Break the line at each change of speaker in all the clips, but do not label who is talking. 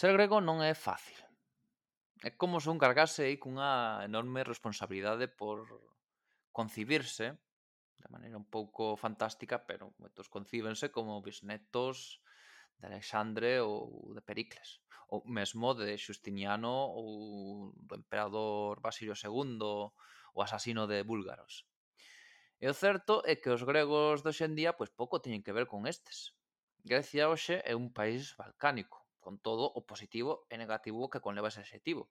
Ser grego non é fácil. É como se un cargase aí cunha enorme responsabilidade por concibirse de maneira un pouco fantástica, pero moitos concíbense como bisnetos de Alexandre ou de Pericles, ou mesmo de Xustiniano ou do emperador Basilio II, o asasino de búlgaros. E o certo é que os gregos de hoxe en día pois pouco teñen que ver con estes. Grecia hoxe é un país balcánico, con todo o positivo e negativo que conleva ese adxetivo.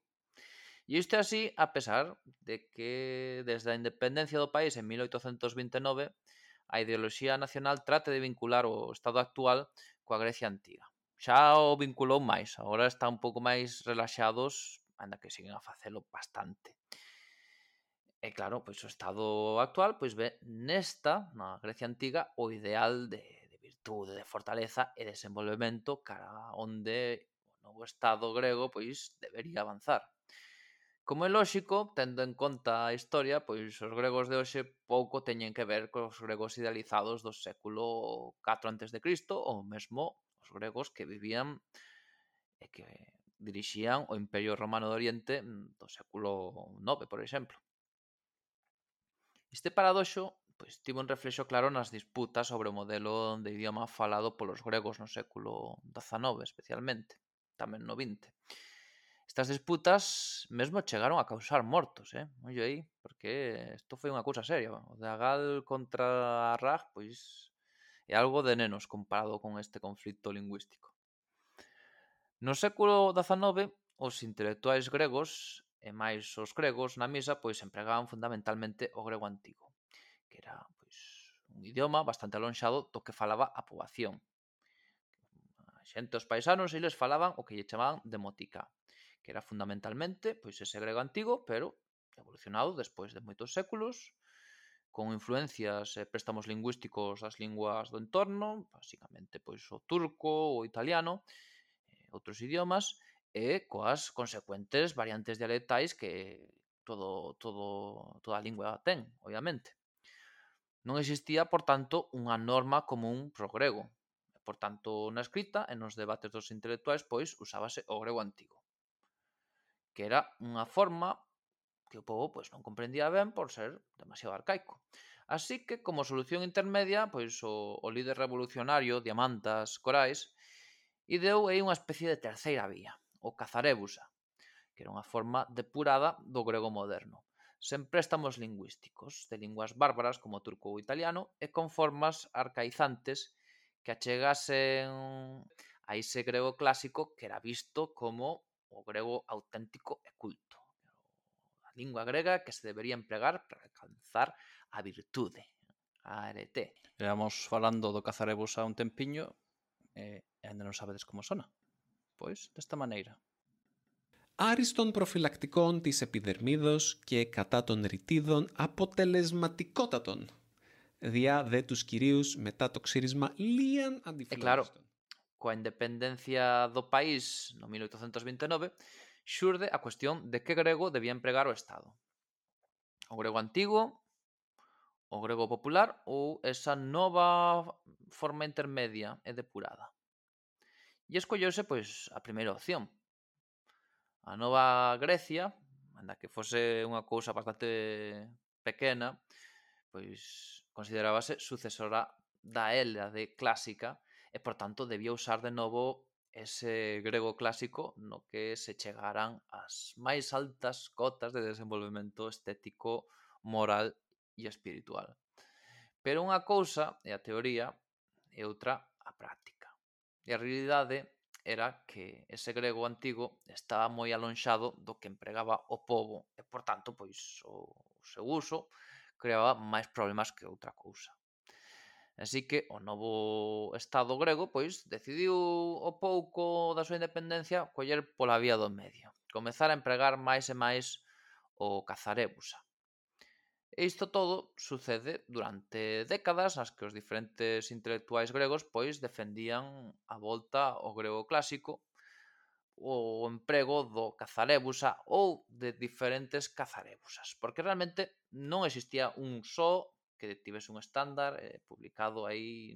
E isto é así a pesar de que desde a independencia do país en 1829 a ideoloxía nacional trate de vincular o estado actual coa Grecia antiga. Xa o vinculou máis, agora está un pouco máis relaxados, anda que siguen a facelo bastante. E claro, pois o estado actual pois ve nesta, na Grecia antiga, o ideal de virtude, de fortaleza e desenvolvemento cara onde o novo estado grego pois debería avanzar. Como é lóxico, tendo en conta a historia, pois os gregos de hoxe pouco teñen que ver cos gregos idealizados do século 4 antes de Cristo ou mesmo os gregos que vivían e que dirixían o Imperio Romano de Oriente do século 9, por exemplo. Este paradoxo pois tivo un reflexo claro nas disputas sobre o modelo de idioma falado polos gregos no século XIX, especialmente, tamén no XX. Estas disputas mesmo chegaron a causar mortos, ollo aí, porque isto foi unha cousa seria. O de Agal contra Arrag, pois é algo de nenos comparado con este conflito lingüístico. No século XIX, os intelectuais gregos e máis os gregos na misa pois empregaban fundamentalmente o grego antigo, que era pois un idioma bastante alonxado do que falaba a poboación. A xente, os paisanos, eles falaban o que lle chamaban demotica, que era fundamentalmente pois ese grego antigo, pero evolucionado despois de moitos séculos, con influencias e préstamos lingüísticos das linguas do entorno, basicamente pois o turco, o italiano, outros idiomas, e coas consecuentes variantes dialectais que toda a lingua ten, obviamente. Non existía, por tanto, unha norma común pro grego. Por tanto, na escrita e nos debates dos intelectuais, pois, usábase o grego antigo, que era unha forma que o povo pois, non comprendía ben por ser demasiado arcaico. Así que, como solución intermedia, pois o líder revolucionario Diamantas Corais ideou aí unha especie de terceira vía, o cazarébusa, que era unha forma depurada do grego moderno, sen préstamos lingüísticos de linguas bárbaras como o turco ou italiano e con formas arcaizantes que achegasen a ese grego clásico que era visto como o grego auténtico e culto. A lingua grega que se debería empregar para alcanzar a virtude, a arete. Éramos falando do cazarebus a un tempiño e ainda non sabedes como sona. Pois, desta maneira.
Άριστον προφυλακτικών της επιδερμίδος και κατά των ρητίδων αποτελεσματικότατον. Διά δε τους κυρίους μετά το ξύρισμα λίαν αντιφυλόγιστον.
Coa independencia do país no 1829, xurde a cuestión de que grego debía empregar o Estado. O grego antigo, o grego popular ou esa nova forma intermedia e depurada. E escolleuse, pois, a primeira opción. A nova Grecia, anda que fose unha cousa bastante pequena, pois considerábase sucesora da Hélade clásica e, por tanto, debía usar de novo ese grego clásico no que se chegaran as máis altas cotas de desenvolvemento estético, moral e espiritual. Pero unha cousa é a teoría e outra a práctica. E a realidade era que ese grego antigo estaba moi alonxado do que empregaba o pobo e, por tanto, pois o seu uso creaba máis problemas que outra cousa. Así que o novo Estado grego pois decidiu o pouco da súa independencia coller pola vía do medio, comezar a empregar máis e máis o cazarébusa. E isto todo sucede durante décadas nas que os diferentes intelectuais gregos pois defendían a volta ao grego clásico, o emprego do cazarébusa ou de diferentes cazarébusas, porque realmente non existía un só que tivese un estándar publicado aí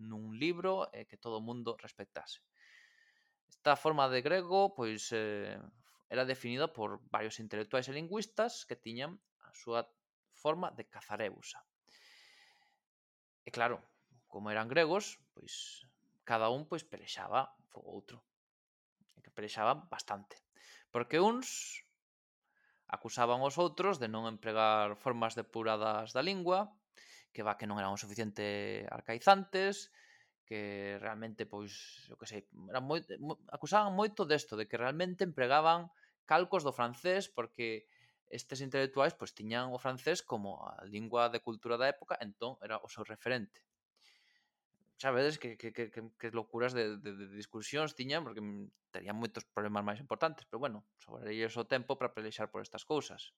nun libro e que todo o mundo respectase. Esta forma de grego, pois, era definida por varios intelectuais e lingüistas que tiñan a súa forma de cazarébusa. E claro, como eran gregos, pois cada un pois pelexaba co outro. E que pelexaban bastante. Porque uns acusaban aos outros de non empregar formas depuradas da lingua, que non eran o suficiente arcaizantes, que realmente, pois, eu que sei, acusaban moito desto, de que realmente empregaban calcos do francés, porque estes intelectuais pois tiñan o francés como a lingua de cultura da época, entón era o seu referente. Sabedes que locuras de discusións tiñan, porque terían moitos problemas máis importantes, pero bueno, sobrarelles o tempo para pelexar por estas cousas.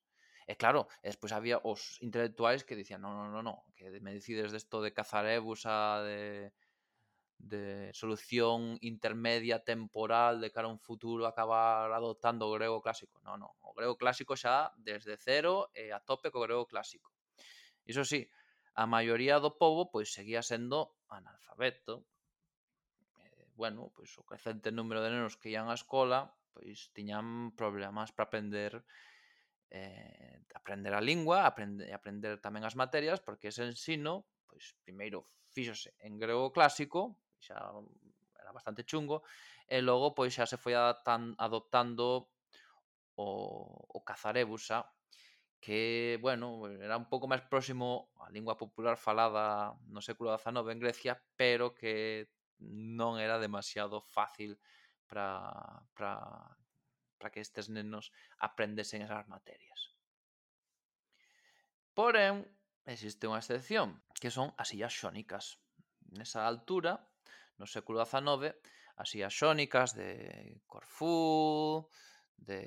E claro, despois había os intelectuais que dicían, non, que me decides desto de cazarébusa, de solución intermedia temporal de cara a un futuro acabar adoptando o grego clásico. Non, o grego clásico xa desde cero e a tope co grego clásico. Iso sí, a maioría do pobo pois seguía sendo analfabeto. Bueno, pois o crecente número de nenos que ian á escola pois tiñan problemas para aprender a lingua, aprender tamén as materias, porque ese ensino, pois primeiro fíxose en grego clásico, xa era bastante chungo, e logo pois xa se foi adoptando o cazarébusa, que, bueno, era un pouco máis próximo á lingua popular falada no século XIX en Grecia, pero que non era demasiado fácil para que estes nenos aprendesen esas materias. Porén, existe unha excepción, que son as illas xónicas. Nesa altura, no século XIX, as illas xónicas de Corfú, de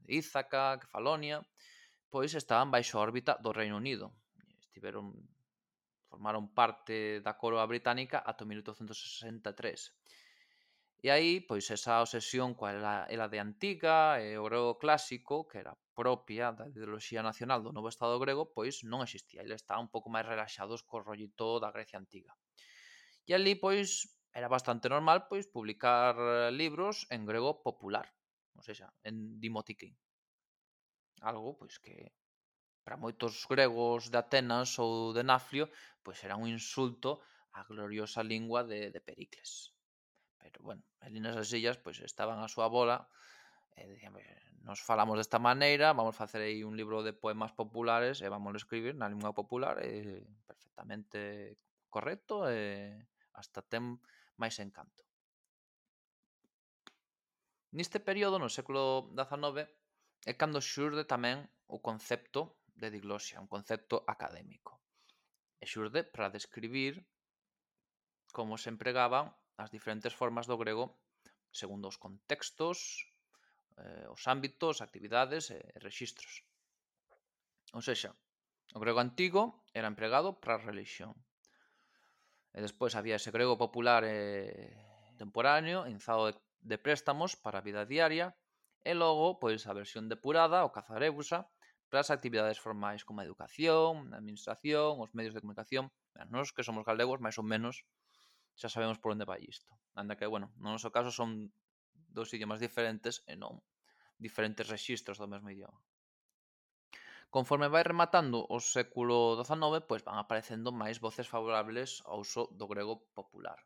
Ízaca, Kefalonia, pois estaban baixo a órbita do Reino Unido. Formaron parte da coroa británica ata 1863. E aí, pois, esa obsesión coa era de antiga e o grego clásico, que era propia da ideoloxía nacional do novo Estado grego, pois non existía. Eles estaban un pouco máis relaxados co rollito da Grecia antiga. E ali, pois, era bastante normal pois publicar libros en grego popular, ou seja, en dimotique. Algo, pois, que para moitos gregos de Atenas ou de Naflio, pois era un insulto á gloriosa lingua de Pericles. Pero, bueno, ali nesas illas, pois estaban a súa bola e dicían, nos falamos desta maneira, vamos facer aí un libro de poemas populares e vamos a escribir na lingua popular perfectamente correcto e hasta ten máis encanto. Neste período, no século XIX, é cando xurde tamén o concepto de diglosia, un concepto académico. E xurde para describir como se empregaban as diferentes formas do grego segundo os contextos, os ámbitos, actividades e rexistros. Ou seja, o grego antigo era empregado para a religión. E despois había ese grego popular e temporáneo, inzado de préstamos para a vida diaria, e logo, pois, a versión depurada, o cazarébusa, para as actividades formais como a educación, a administración, os medios de comunicación. Nós que somos galegos, máis ou menos, xa sabemos por onde vai isto. Anda que, bueno, no noso caso son dous idiomas diferentes e non diferentes rexistros do mesmo idioma. Conforme vai rematando o século XIX, pois van aparecendo máis voces favorables ao uso do grego popular,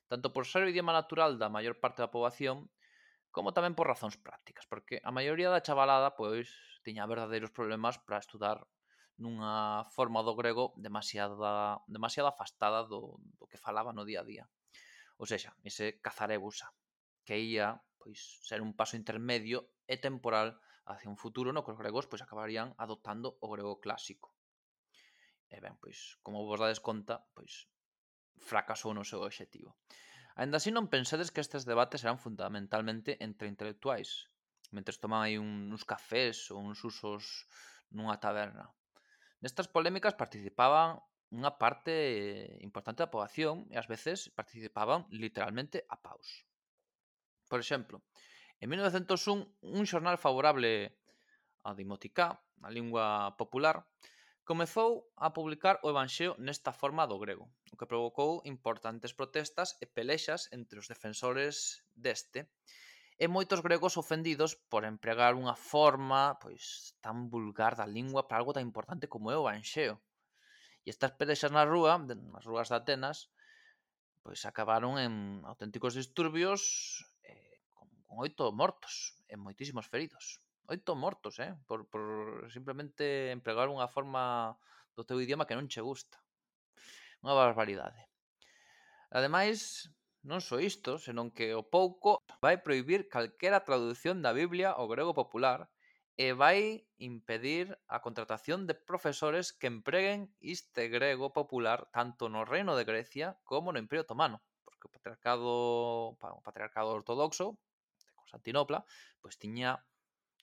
tanto por ser o idioma natural da maior parte da poboación, como tamén por razóns prácticas, porque a maioría da chavalada pois tiña verdadeiros problemas para estudar nunha forma do grego demasiado afastada do que falaba no día a día. Ou seja, ese cazarébusa, que ia pois ser un paso intermedio e temporal hacia un futuro no que os gregos pois acabarían adoptando o grego clásico. E ben, pois, como vos dades conta, pois fracasou no seu obxectivo. Ainda así non pensedes que estes debates eran fundamentalmente entre intelectuais, mentres tomaban aí uns cafés ou uns usos nunha taberna. Nestas polémicas participaban unha parte importante da poboación e ás veces participaban literalmente a paus. Por exemplo, en 1901, un xornal favorable a Dimoticá, a lingua popular, Comezou a publicar o Evanxeo nesta forma do grego, o que provocou importantes protestas e pelexas entre os defensores deste, e moitos gregos ofendidos por empregar unha forma tan vulgar da lingua para algo tan importante como é o Evanxeo. E estas pelexas nas rúas de Atenas, acabaron en auténticos disturbios con 8 mortos e moitísimos feridos. 8 mortos, por simplemente empregar unha forma do teu idioma que non che gusta. Unha barbaridade. Ademais, non só isto, senón que o pouco vai prohibir calquera traducción da Biblia ao grego popular e vai impedir a contratación de profesores que empreguen este grego popular tanto no Reino de Grecia como no Imperio Otomano, porque o patriarcado ortodoxo de Constantinopla tiña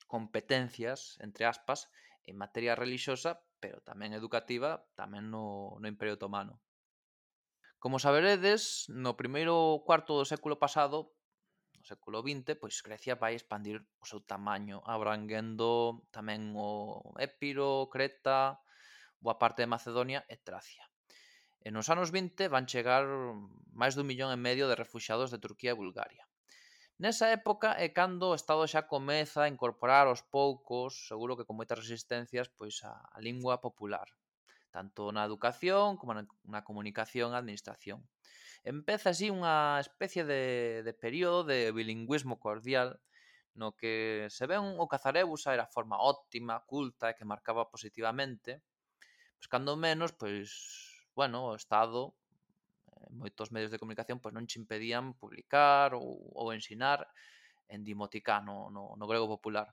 competencias, entre aspas, en materia relixiosa, pero tamén educativa, tamén no Imperio Otomano. Como saberedes, no primeiro cuarto do século pasado, no século XX, Grecia vai expandir o seu tamaño, abranguendo tamén o Épiro, Creta, boa parte de Macedonia e Tracia. E nos anos 20 van chegar máis d'1,5 millón de refuxiados de Turquía e Bulgaria. Nesa época é cando o Estado xa comeza a incorporar aos poucos, seguro que con moitas resistencias, a lingua popular, tanto na educación como na comunicación e administración. Empeza así unha especie de período de bilingüismo cordial no que se ven o Cazarébusa era a forma óptima, culta e que marcaba positivamente, cando menos, o Estado moitos medios de comunicación non che impedían publicar ou ensinar en dimoticá no grego popular.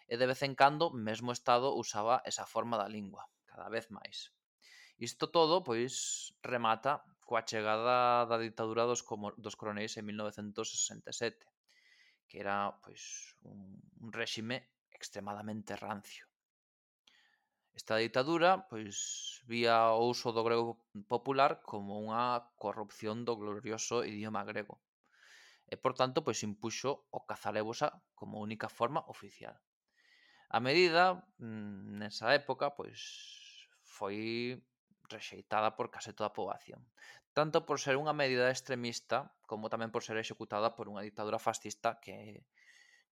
E de vez en cando, mesmo o Estado usaba esa forma da lingua, cada vez máis. Isto todo, remata coa chegada da ditadura dos coronéis en 1967, que era, un réxime extremadamente rancio. Esta ditadura, vía o uso do grego popular como unha corrupción do glorioso idioma grego. E, por tanto, impuxo o Cazarébusa como única forma oficial. A medida, nesa época, foi rexeitada por case toda a poboación, tanto por ser unha medida extremista como tamén por ser executada por unha dictadura fascista que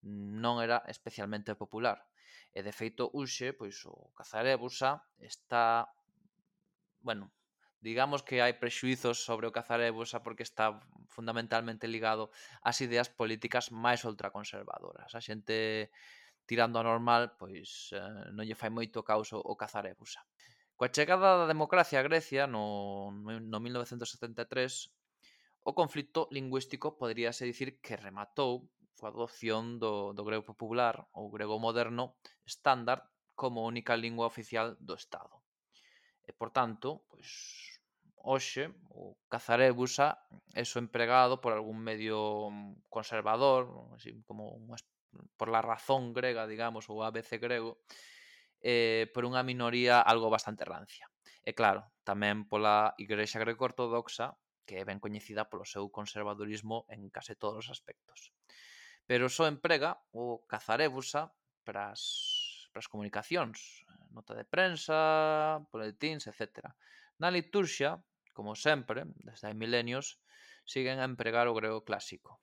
non era especialmente popular. E, de feito, hoxe, o Cazarébusa está... digamos que hai prexuizos sobre o Cazarébusa porque está fundamentalmente ligado ás ideas políticas máis ultraconservadoras. A xente tirando a normal, non lle fai moito causo o Cazarébusa. Coa chegada da democracia a Grecia no 1973, o conflito lingüístico poderíase dicir que rematou coa adopción do grego popular ou grego moderno estándar como única lingua oficial do Estado. E, por tanto, hoxe o Cazarébusa é só empregado por algún medio conservador, así como por la razón grega, digamos, ou ABC grego, por unha minoría algo bastante rancia. E claro, tamén pola Igrexa greco-ortodoxa, que é ben coñecida polo seu conservadurismo en case todos os aspectos. Pero só emprega o Cazarébusa para as comunicacións, nota de prensa, boletíns, etc. Na liturxia, como sempre, desde hai milenios, siguen a empregar o grego clásico.